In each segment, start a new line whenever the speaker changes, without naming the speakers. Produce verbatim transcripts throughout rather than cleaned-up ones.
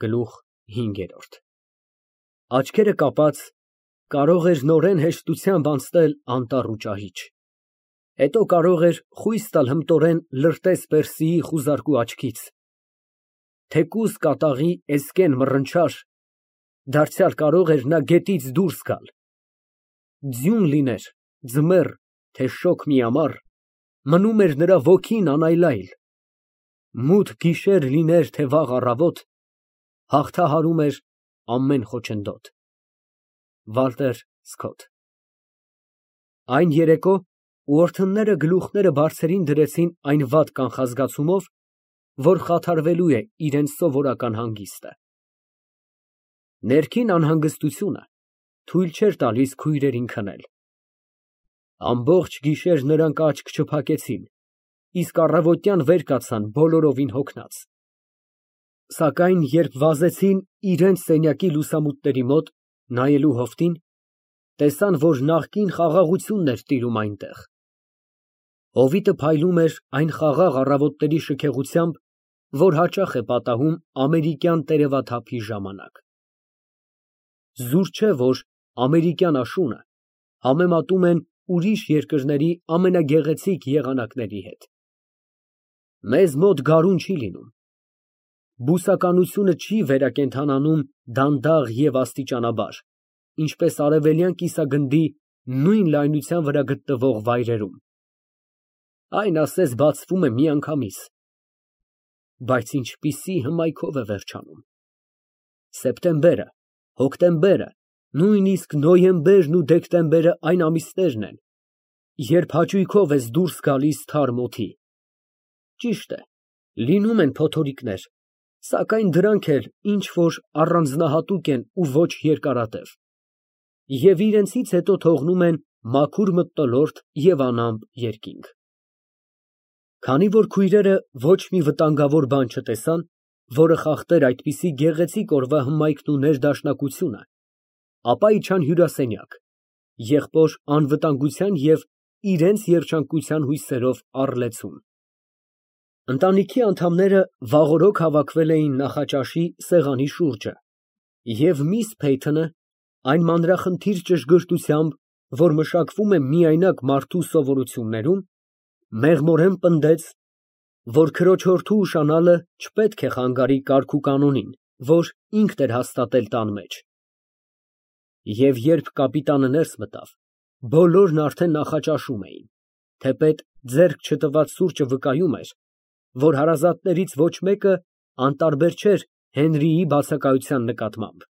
Գլուխ հինգ։ Աչքերը կապած, կարող էր նորեն հեշտությամբ անցնել անտառ ու ճահիճ, հետո կարող էր խույս տալ հմտորեն Լրտես֊Պերսիի խուզարկու աչքից, թեկուզ կատաղի էսկեն մռնչար, դարձյալ կարող էր նա գետից դուրս գալ, ձյուն լիներ, ձմեռ, թե շոգ միամառ, մնում էր նրա ոգին անայլայլ, մութ գիշեր լիներ, թե վաղ առավոտ, հաղթահարում էր ամեն խոչընդոտ։ Վալտեր Սքոթ։ Այն երեկո ուորթնները գլուխները բարձրին դրեցին այն վատ կանխազգացումով, որ խաթարվելու է իրենց սովորական հանգիստը։ Ներքին անհանգստությունը թույլ չէր տալիս քույրերին քնել։ Ամբողջ գիշեր նրանք աչք չփակեցին, իսկ առավոտյան վեր կացան բոլորովին հոգնած։ Սակայն երբ վազեցին իրենց սենյակի լուսամուտների մոտ, նայելու հովտին, տեսան, որ նախկին խաղաղությունն էր տիրում այնտեղ։ Հովիտը փայլում էր այն խաղաղ առավոտների շքեղությամբ, որ հաճախ է պատահում ամերիկյան տերևաթափի ժամանակ։ Զուր չէ, որ ամերիկյան աշունը համեմատում են ուրիշ երկրների ամենագեղեցիկ եղանակների հետ։ Մեզ մոտ գարուն չի լինում։ Բուսականությունը չի վերակենդանանում դանդաղ և աստիճանաբար, ինչպես արևելյան կիսագնդի նույն լայնության վրա գտնվող վայրերում։ Այն ասես բացվում է միանգամից, բայց ինչպիսի հմայքով է վերջանում։ Սեպտեմբերը, հոկտեմբերը, նույնիսկ նոյեմբերն ու դեկտեմբերը այն ամիսներն են, երբ հաճույքով ես դուրս գալիս թարմ օդի։ Ճիշտ է, լինում են փոթորիկներ, սակայն դրանք էլ ինչ֊որ առանձնահատուկ են ու ոչ երկարատև, և իրենցից հետո թողնում են մաքուր մթնոլորտ և անամպ երկինք։ Քանի որ քույրերը ոչ մի վտանգավոր բան չտեսան, որը խախտեր այդպիսի գեղեցիկ օրվա հմայքն ու ներդաշնակությունը, ապա իջան հյուրասենյակ, եղբոր անվտանգության և իրենց երջանկության հույսերով առլեցուն։ Ընտանիքի անդամները վաղօրոք հավաքվել էին նախաճաշի սեղանի շուրջը, և միս Փեյթոնը այն մանրախնդիր ճշգրտությամբ, որ մշակվում է միայնակ մարդու սովորություններում, մեղմորեն պնդեց, որ քրոջորդու ուշանալը չպետք է խանգարի կարգուկանոնին, որ ինքն էր հաստատել տան մեջ։ Եվ երբ կապիտանը ներս մտավ, բոլորն արդեն նախաճաշում էին, թեպետ ձեռք չտված սուրճը վկայում էր, որ հարազատներից ոչ մեկը անտարբեր չէր Հենրիի բացակայության նկատմամբ։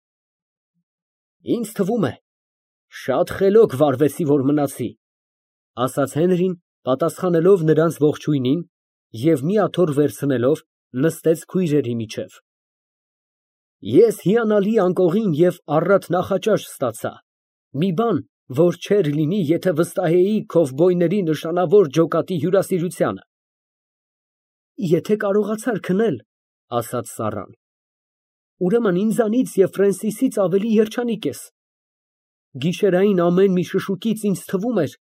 Ինձ թվում է, շատ խելոք վարվեցի, որ մնացի, ասաց Հենրին, պատասխանելով նրանց ողջույնին և մի աթոռ վերցնելով նստեց քույրերի միջև։ Ես հիանալի անկողին և առատ նախաճաշ ստացա, մի բան, որ չէր լինի, եթե վստահեի քովբոյների նշանավոր ջոկատի հյուրասիրությանը։ Եթե կարողացար քնել, ասաց Սառան, ուրեմն ինձանից և Ֆրենսիսից ավելի երջանիկ ես։ Գիշերային ամեն մի շշուկից ինձ թվում էր,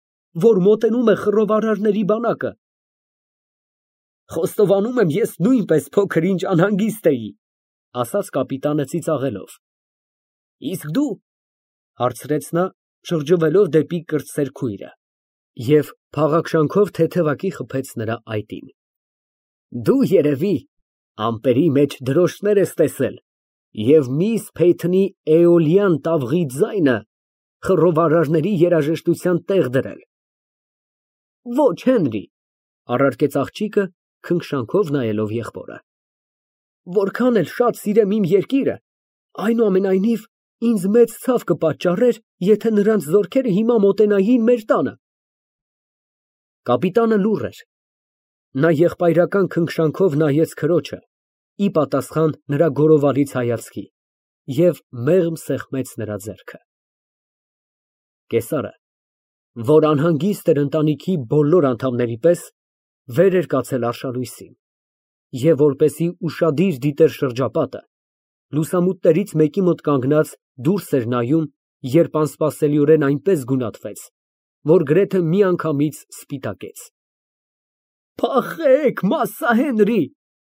որ մոտենում է խռովարարների բանակը։ Խոստովանում եմ, ես նույնպես փոքր-ինչ անհանգիստ էի, ասաց կապիտանը ծիծաղելով։ Իսկ դու, հարցրեց նա, շրջվելով դեպի կրտսեր քույրը, և փաղաքշանքով թեթևակի խփեց նրա այտին։ Դու, երևի, ամպերի մեջ դրոշտներ ես տեսել և միս Փեյթոնի էոլյան տավղի ձայնը խռովարարների երաժշտության տեղ դրել։ Ոչ, Հենրի, առարկեց աղջիկը, քնքշանքով նայելով եղբորը։ Որքան էլ շատ սիրեմ իմ երկիրը, այնուամենայնիվ ինձ մեծ ցավ կպատճառեր, եթե նրանց զորքերը հիմա մոտենային մեր տանը։ Կապիտանը լուռ էր։ Նա եղբայրական քնքշանքով նայեց քրոջը, ի պատասխան նրա գորովալից հայացքի, և մեղմ սեղմեց նրա ձեռքը։ Կեսարը, որ անհանգիստ էր ընտանիքի բոլոր անդամների պես, վեր էր կացել արշալույսին, և որպեսզի ուշադիր դիտեր շրջապատը, լուսամուտներից մեկի մոտ կանգնած դուրս էր նայում, երբ անսպասելիորեն այնպես գունատվեց, որ գրեթե միանգամից սպիտակեց։ Փախեք, Մասսա Հենրի,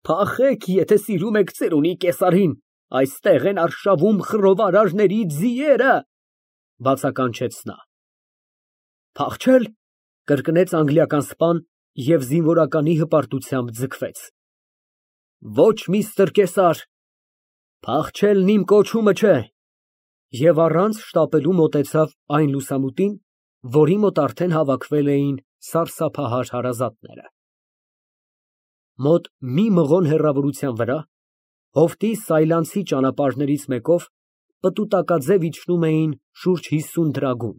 փախեք, եթե սիրում եք ծերունի կեսարին։ Այստեղ են արշավում խռովարարների ձիերը, բացականչեց նա։ Փախչե՞լ, կրկնեց անգլիական սպան և զինվորականի հպարտությամբ ձգվեց։ Ոչ, միստր Կեսար, փախչելն իմ կոչումը չէ, և առանց շտապելու մոտեցավ այն լուսամուտին, որի մոտ արդեն հավաքվել էին սարսափահար հարազատները։ Մոտ մի մղոն հեռավորության վրա, հովտի սայլանցի ճանապարհներից մեկով, պտուտակաձև իջնում էին շուրջ հիսուն դրագուն։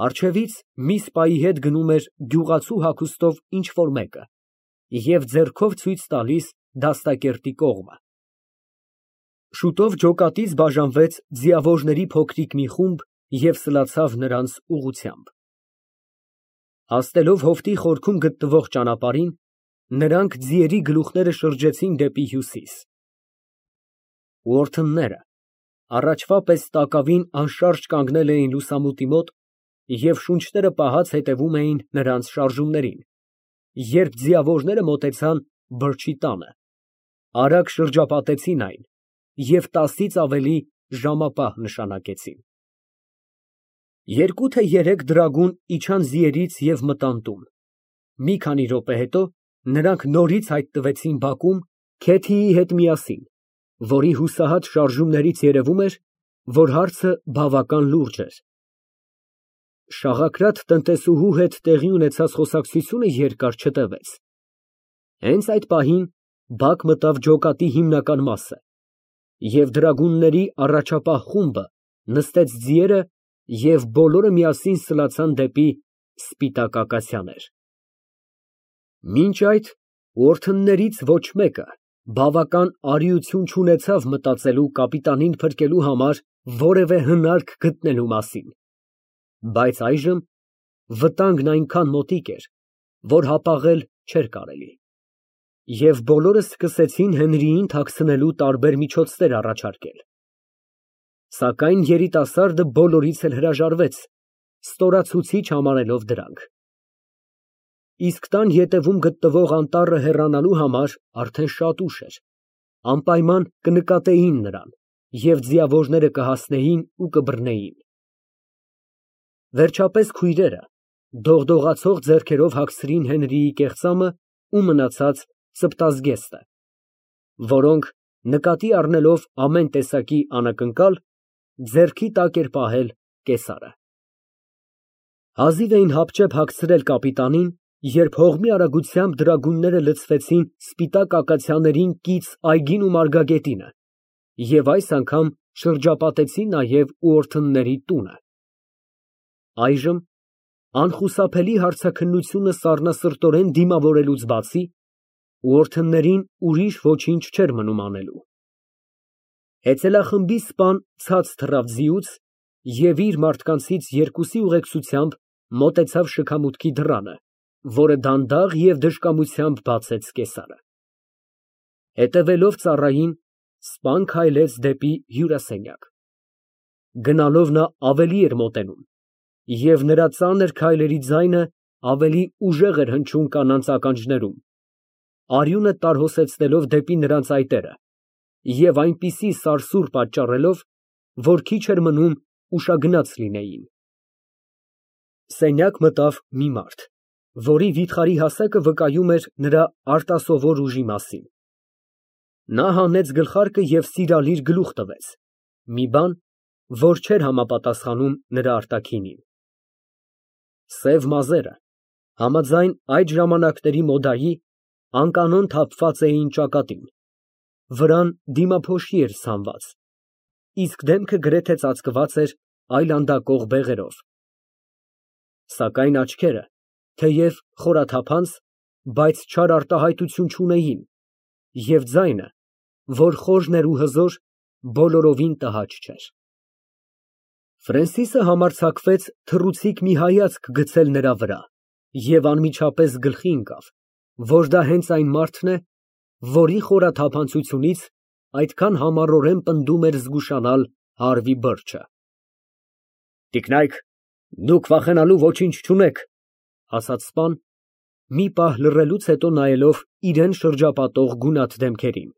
Առջևից մի սպայի հետ գնում էր գյուղացու հագուստով ինչ֊որ մեկը և ձեռքով ցույց տալիս դաստակերտի կողմը։ Շուտով ջոկատից բաժանվեց ձիավորների փոքրիկ մի խումբ և սլացավ նրանց ուղղությամբ։ Հասնելով հովտի խորքում գտնվող ճանապարհին, նրանք ձիերի գլուխները շրջեցին դեպի հյուսիս։ Ուորթնները առաջվա պես տակավին անշարժ կանգնել էին լուսամուտի մոտ և շունչները պահած հետևում էին նրանց շարժումներին, երբ ձիավորները մոտեցան բրջի տանը, արագ շրջապատեցին այն և տասից ավելի ժամապահ նշանակեցին։ Երկու թե երեք դրագուն իջան ձիերից և մտան տուն։ Մի քանի րոպե հետո նրանք նորից հայտնվեցին բակում Քեթիի հետ միասին, որի հուսահատ շարժումներից երևում էր, որ հարցը բավական լուրջ էր։ Շաղակրատ տնտեսուհու հետ տեղի ունեցած խոսակցությունը երկար չտևեց։ Հենց այդ պահին բակ մտավ ջոկատի հիմնական մասը, և դրագունների առաջապահ խումբը նստեց ձիերը և բոլորը միասին սլացան դեպի սպիտակ ակացիաներ։ Մինչ այդ ուորթններից ոչ մեկը բավական արիություն չունեցավ մտածելու կապիտանին փրկելու համար որևէ հնարք գտնելու մասին, բայց այժմ վտանգն այնքան մոտիկ էր, որ հապաղել չէր կարելի, և բոլորը սկսեցին Հենրիին թաքցնելու տարբեր միջոցներ առաջարկել։ Սակայն երիտասարդը բոլորից էլ հրաժարվեց, ստորացուցիչ համարելով դրանք։ Իսկ տան ետևում գտնվող անտառը հեռանալու համար արդեն շատ ուշ էր, անպայման կնկատեին նրան և ձիավորները կհասնեին ու կբռնեին։ Վերջապես քույրերը դողդողացող ձեռքերով հագցրին Հենրիի կեղծամը ու մնացած ծպտազգեստը, որոնք, նկատի առնելով ամեն տեսակի անակնկալ, ձեռքի տակ էր պահել կեսարը։ Հազիվ էին հապճեպ հագցրել կապիտանին, երբ հողմի արագությամբ դրագունները լցվեցին սպիտակ ակացիաներին կից այգին ու մարգագետինը և այս անգամ շրջապատեցին նաև ուորթնների տունը։ Այժմ, անխուսափելի հարցաքննությունը սառնասրտորեն դիմավորելուց բացի, ուորթններին ուրիշ ոչինչ չէր մնում անելու։ Հեծելախմբի սպան ցած թռավ ձիուց և իր մարդկանցից երկուսի ուղեկցությամբ մոտեցավ շքամուտքի դռանը, որը դանդաղ և դժկամությամբ բացեց կեսարը։ Հետևելով ծառային, սպան քայլեց դեպի հյուրասենյակ։ Գնալով նա ավելի էր մոտենում, և նրա ծանր քայլերի ձայնը ավելի ուժեղ էր հնչում կանանց ականջներում, արյունը տարհոսեցնելով դեպի նրանց այտերը և այնպիսի սարսուռ պատճառելով, որ քիչ էր մնում ուշագնաց լինեին։ Սենյակ մտավ մի մարդ, որի վիթխարի հասակը վկայում էր նրա արտասովոր ուժի մասին։ Նա հանեց գլխարկը և սիրալիր գլուխ տվեց, մի բան, որ չէր համապատասխանում նրա արտաքինին։ Սև մազերը, համաձայն այդ ժամանակների մոդայի, անկանոն թափված էին ճակատին, վրան դիմափոշի էր ցանված, իսկ դեմքը գրեթե ծածկված էր այլանդակող բեղերով։ Սակայն աչքերը, թեև խորաթափանց, բայց չար արտահայտություն չունեին, և ձայնը, որ խորն էր ու հզոր, բոլորովին տհաճ չէր։ Ֆրենսիսը համարձակվեց թռուցիկ մի հայացք գցել նրա վրա և անմիջապես գլխի ընկավ, որ դա հենց այն մարդն է, որի խորաթափանցությունից այդքան համառորեն պնդում էր զգուշանալ Հարվի Բըրչը։ Տիկնայք, դուք վախենալու ոչինչ չունեք, ասաց սպան, մի պահ լռելուց հետո նայելով իրան շրջապատող գունատ դեմքերին։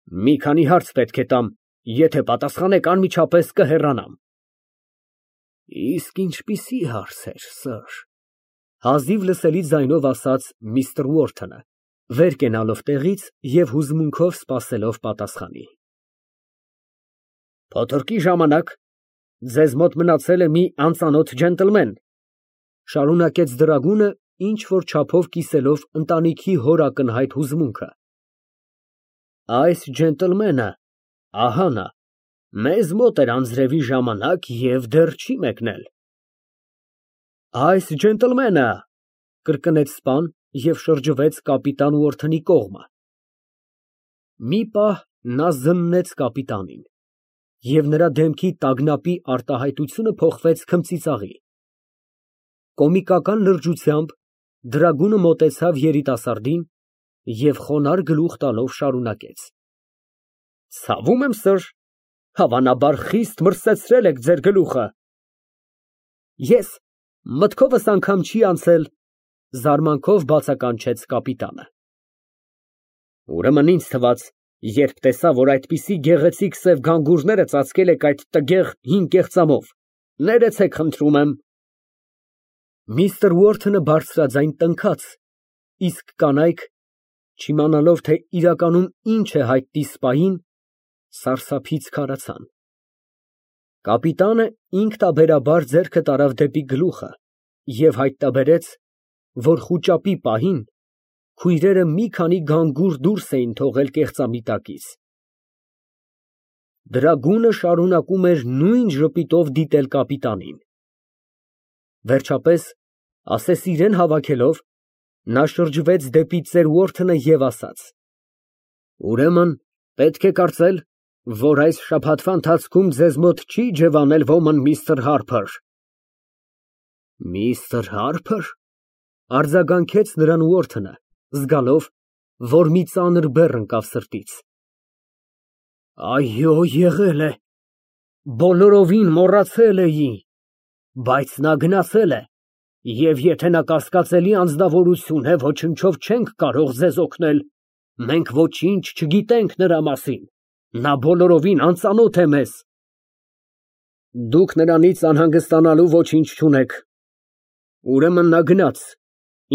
Մի քանի հարց պետք է տամ, եթե պատասխանեք, անմիջապես կհեռանամ։ Իսկ ինչպիսի հարցեր, սըր, հազիվ լսելի ձայնով ասաց միստր Ուորթոնը, վեր կենալով տեղից և հուզմունքով սպասելով պատասխանի։ Փոթորկի ժամանակ ձեզ մոտ մնացել է մի անծանոթ ջենտլմեն, շարունակեց դրագունը, ինչ֊որ չափով կիսելով ընտանիքի հոր ակնհայտ հուզմունքը։ Այս ջենտլմենը, ահա նա, մեզ մոտ էր անձրևի ժամանակ և դեռ չի մեկնել։ Այս ջենտլմենը, կրկնեց սպան և շրջվեց կապիտան Ուորթոնի կողմը։ Մի պահ նա զննեց կապիտանին, և նրա դեմքի տագնապի արտահայտությունը փոխվեց քմծիծաղի։ Կոմիկական լրջությամբ դրագունը մոտեցավ երիտասարդին և խոնարհ գլուխ տալով շարունակեց. Ցավում եմ, սըր, հավանաբար խիստ մրսեցրել եք ձեր գլուխը։ Ես, մտքովս անգամ չի անցել, զարմանքով բացականչեց կապիտանը։ Ուրեմն ինձ թվաց, երբ տեսա, որ այդպիսի գեղեցիկ սև գանգուրները ծածկել եք այդ տգեղ հին կեղծամով, ներեցեք, խնդրում եմ։ Միստր Ուորթոնը բարձրաձայն տնքաց, իսկ կանայք, չիմանալով, թե իրականում ինչ է հայտնի սպային, սարսափից քարացան։ Կապիտանը ինքնաբերաբար ձեռքը տարավ դեպի գլուխը և հայտնաբերեց, որ խուճապի պահին քույրերը մի քանի գանգուր դուրս էին թողել կեղծամիտակից։ Դրագունը շարունակում էր նույն ժպիտով դիտել կապիտանին։ Վերջապես, ասես իրան հավաքելով, նա շրջվեց դեպի ծեր Ուորթոնը և ասաց. Ուրեմն, պետք է կարծել, որ այս շաբաթվա ընթացքում ձեզ մոտ չի ջևանել ոմն միստր Հարփր։ Միստր Հարփը՞ր, արձագանքեց նրան Ուորթոնը, զգալով, որ մի ծանր բեռ ընկավ սրտից։ Այո, եղել է, բոլորովին մոռացել էի, բայց նա գնացել է, և եթե նա կասկածելի անձնավորություն է, ոչնչով չենք կարող ձեզ օգնել, մենք ոչինչ չգիտենք նրա մասին, նա բոլորովին անծանոթ է մեզ։ Դուք նրանից անհանգստանալու ոչինչ չունեք, ուրեմն նա գնաց,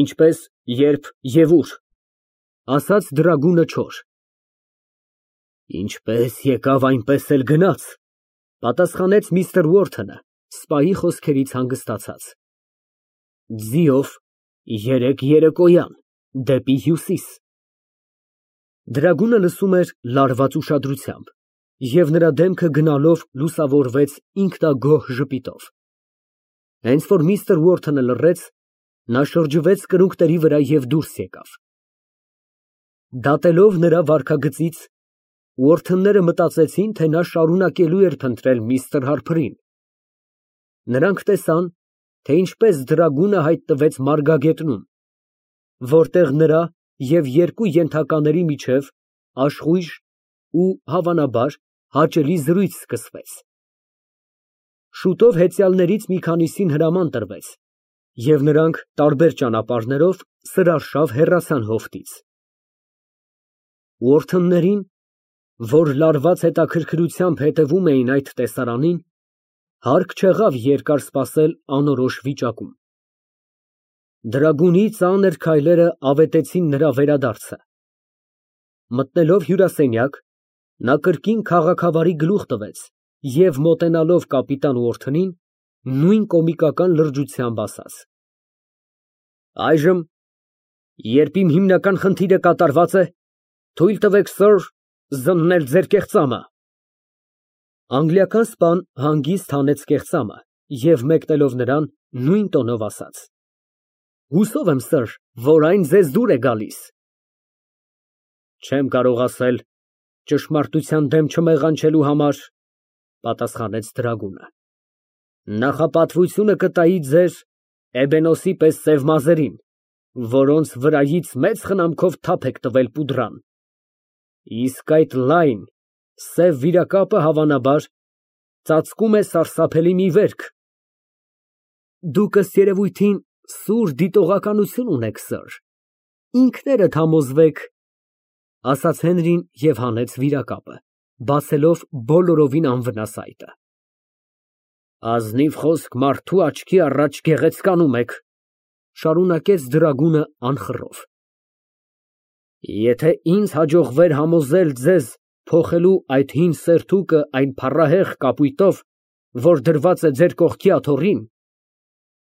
ինչպես, երբ և ուր, ասաց դրագունը չոր։ Ինչպես եկավ, այնպես էլ գնաց, պատասխանեց միստր Ուորթոնը, սպայի խոսքերից հանգստացած։ Ձիով երեկ երեկոյան, դեպի հյուսիս։ Դրագունը լսում էր լարված ուշադրությամբ, և նրա դեմքը գնալով լուսավորվեց ինքնագոհ ժպիտով։ Հենց որ միստր Ուորթոնը լռեց, նա շրջվեց կրունկների վրա և դուրս եկավ։ Դատելով նրա վարքագծից, Ուորթոնները մտածեցին, թե նա շարունակելու էր փնտրել միստր Հարփրին։ Նրանք տեսան, թե ինչպես դրագունը հայտնվեց մարգագետնում, որտեղ նրա և երկու ենթակաների միջև աշխույժ ու, հավանաբար, հաճելի զրույց սկսվեց։ Շուտով հեծյալներից մի քանիսին հրաման տրվեց, և նրանք տարբեր ճանապարհներով սրարշավ հեռացան հովտից։ Ուորթոններին, որ լարված հետաքրքրությամբ հետևում էին այդ տեսարանին, հարկ չեղավ երկար սպասել անորոշ վիճակում։ Դրագունի ծանր քայլերը ավետեցին նրա վերադարձը։ Մտնելով հյուրասենյակ, նա կրկին քաղաքավարի գլուխ տվեց և, մոտենալով կապիտան Ուորթոնին, նույն կոմիկական լրջությամբ ասաց. Այժմ, երբ իմ հիմնական խնդիրը կատարված է, թույլ տվեք, սըր, զննել ձեր կեղծամը։ Անգլիական սպան հանգիստ հանեց կեղծամը և մեկնելով նրան, նույն տոնով ասաց. Հուսով եմ, սըր, որ այն ձեզ դուր է գալիս։ Չեմ կարող ասել, ճշմարտության դեմ չմեղանչելու համար, պատասխանեց դրագունը։ Նախապատվությունը կտայի ձեր էբենոսի պես սև մազերին, որոնց վրայից մեծ խնամքով թափ եք տվել պուդրան, իսկ այդ լայն, սև վիրակապը, հավանաբար, ծածկում է սարսափելի մի վերք։ Դուք, ըստ երևույթին, սուր դիտողականություն ունեք, սըր, ինքներդ համոզվեք։ ասաց Հենրին և հանեց վիրակապը, բացելով բոլորովին անվնաս այտը։ Ազնիվ խոսք մարդու աչքի առաջ գեղեցկանում եք, շարունակեց դրագունը անխռով։ Եթե ինձ հաջողվեր համոզել ձեզ փոխելու այդ հին սերտուկը այն փառահեղ կապույտով, որ դրված է ձեր կողքի աթոռին,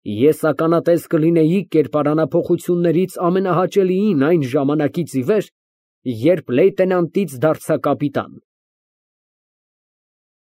ես ականատես կլինեի կերպարանափոխություններից ամենահաճելիին այն ժամանակից ի վեր, երբ լեյտենանտից դարձա կապիտան։